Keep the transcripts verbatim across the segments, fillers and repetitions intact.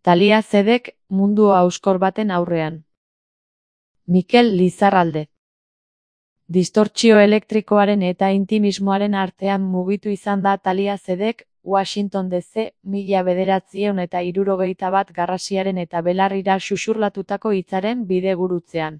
Thalia Zedek mundu hauskor baten aurrean. Mikel Lizarralde. Distortsio elektrikoaren eta intimismoaren artean mugitu izan da Thalia Zedek, Washington D C, mila bederatziehun eta hirurogeita bat garrasiaren eta belarrira xuxurlatutako hitzaren bidegurutzean.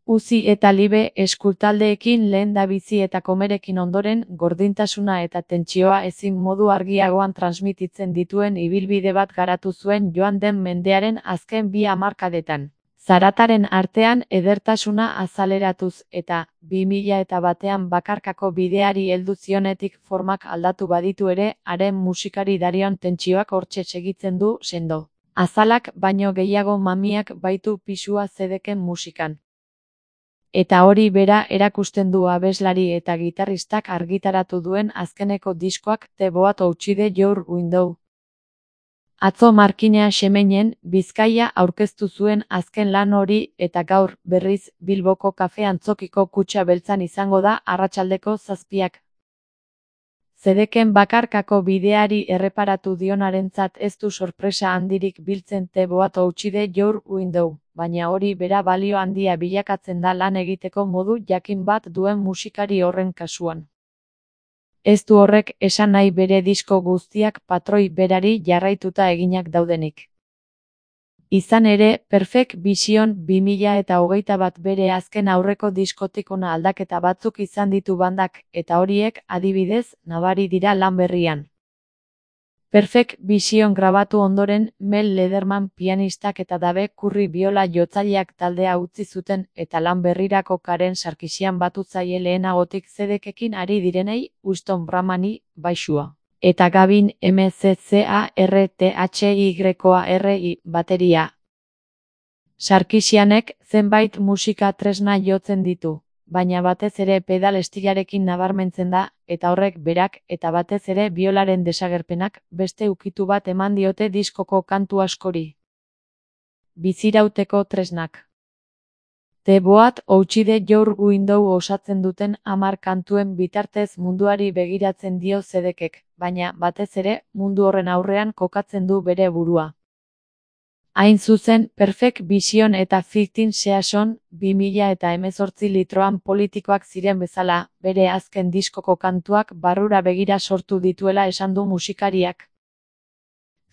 Uzi eta Libe eskultaldeekin lehendabizi eta komerekin ondoren, gordintasuna eta tentsioa ezin modu argiagoan transmititzen dituen ibilbide bat garatu zuen joan den mendearen azken bi hamarkadetan. Zarataren artean edertasuna azaleratuz eta bi mila eta batean bakarkako bideari heldu zionetik formak aldatu baditu ere, haren musikari darion tentsioak hortxe segitzen du sendo. Azalak baino gehiago mamiak baitu pisua Zedeken musikan. Eta hori bera erakusten du abeslari eta gitarristak argitaratu duen azkeneko diskoak The Boat Outside Your Window. Atzo Markinea Xemeinen, Bizkaia aurkeztu zuen azken lan hori eta gaur, berriz, Bilboko kafe antzokiko kutxa beltzan izango da arratsaldeko zazpiak. Zedeken bakarkako bideari erreparatu dionarentzat ez du sorpresa handirik biltzen The Boat Outside Your Window, baina hori bera balio handia bilakatzen da lan egiteko modu jakin bat duen musikari horren kasuan. Ez du horrek esan nahi bere disko guztiak patroi berari jarraituta eginak daudenik. Izan ere, Perfect Vision bi mila eta hogeita bat bere azken aurreko diskotik hona aldaketa batzuk izan ditu bandak, eta horiek, adibidez, nabari dira lan berrian. Perfect Vision grabatu ondoren, Mel Lederman pianistak eta Dave Kurri biola jotzaileak taldea utzi zuten, eta lan berrirako Karen Sarkisian batutzaile lehenagotik Zedekekin ari direnei, Winston Bramani, baixua. Eta Gavin M C C A R T H Y R I bateria. Sarkisianek zenbait musika tresna jotzen ditu, baina batez ere pedal estilarekin nabarmentzen da, eta horrek berak eta batez ere biolaren desagerpenak beste ukitu bat eman diote diskoko kantu askori. Bizirauteko tresnak. The Boat Outside Your Window osatzen duten hamar kantuen bitartez munduari begiratzen dio Zedekek, baina, batez ere, mundu horren aurrean kokatzen du bere burua. Hain zuzen, Perfect Vision eta Fifteen Season, bi mila eta hemezortzi litroan politikoak ziren bezala, bere azken diskoko kantuak barrura begira sortu dituela esan du musikariak.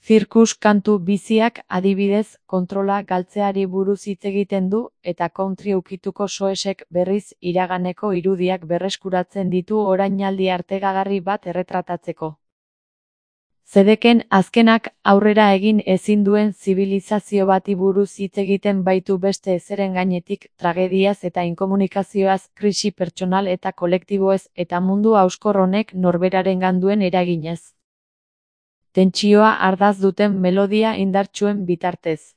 Zirkus kantu biziak, adibidez, kontrola galtzeari buruz hitz egiten du, eta country ukituko soesek berriz iraganeko irudiak berreskuratzen ditu orainaldi artegagarri bat erretratatzeko. Zedeken azkenak aurrera egin ezin duen zibilizazio bati buruz hitz egiten baitu beste ezeren gainetik, tragediaz eta inkomunikazioaz, krisi pertsonal eta kolektiboez eta mundu hauskor honek norberarengan duen eraginez. Tentsioa ardaz duten melodia indartsuen bitartez.